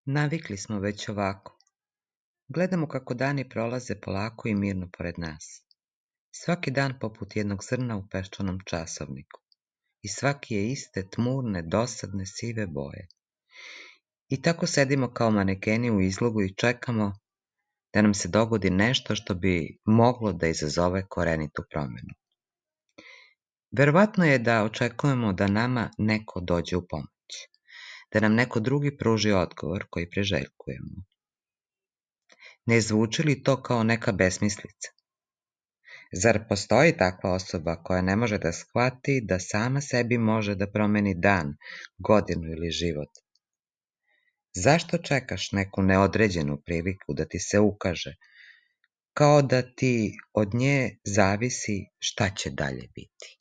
Navikli smo već ovako. Gledamo kako dani prolaze polako i mirno pored nas. Svaki dan poput jednog zrna u peščanom časovniku. I svaki je iste, tmurne, dosadne, sive boje. I tako sedimo kao manekeni u izlogu i čekamo da nam se dogodi nešto što bi moglo da izazove korenitu promenu. Verovatno je da očekujemo da nama neko dođe u pomoć, da nam neko drugi pruži odgovor koji priželjkujemo. Ne zvuči li to kao neka besmislica? Zar postoji takva osoba koja ne može da shvati da sama sebi može da promeni dan, godinu ili život? Zašto čekaš neku neodređenu priliku da ti se ukaže, kao da ti od nje zavisi šta će dalje biti?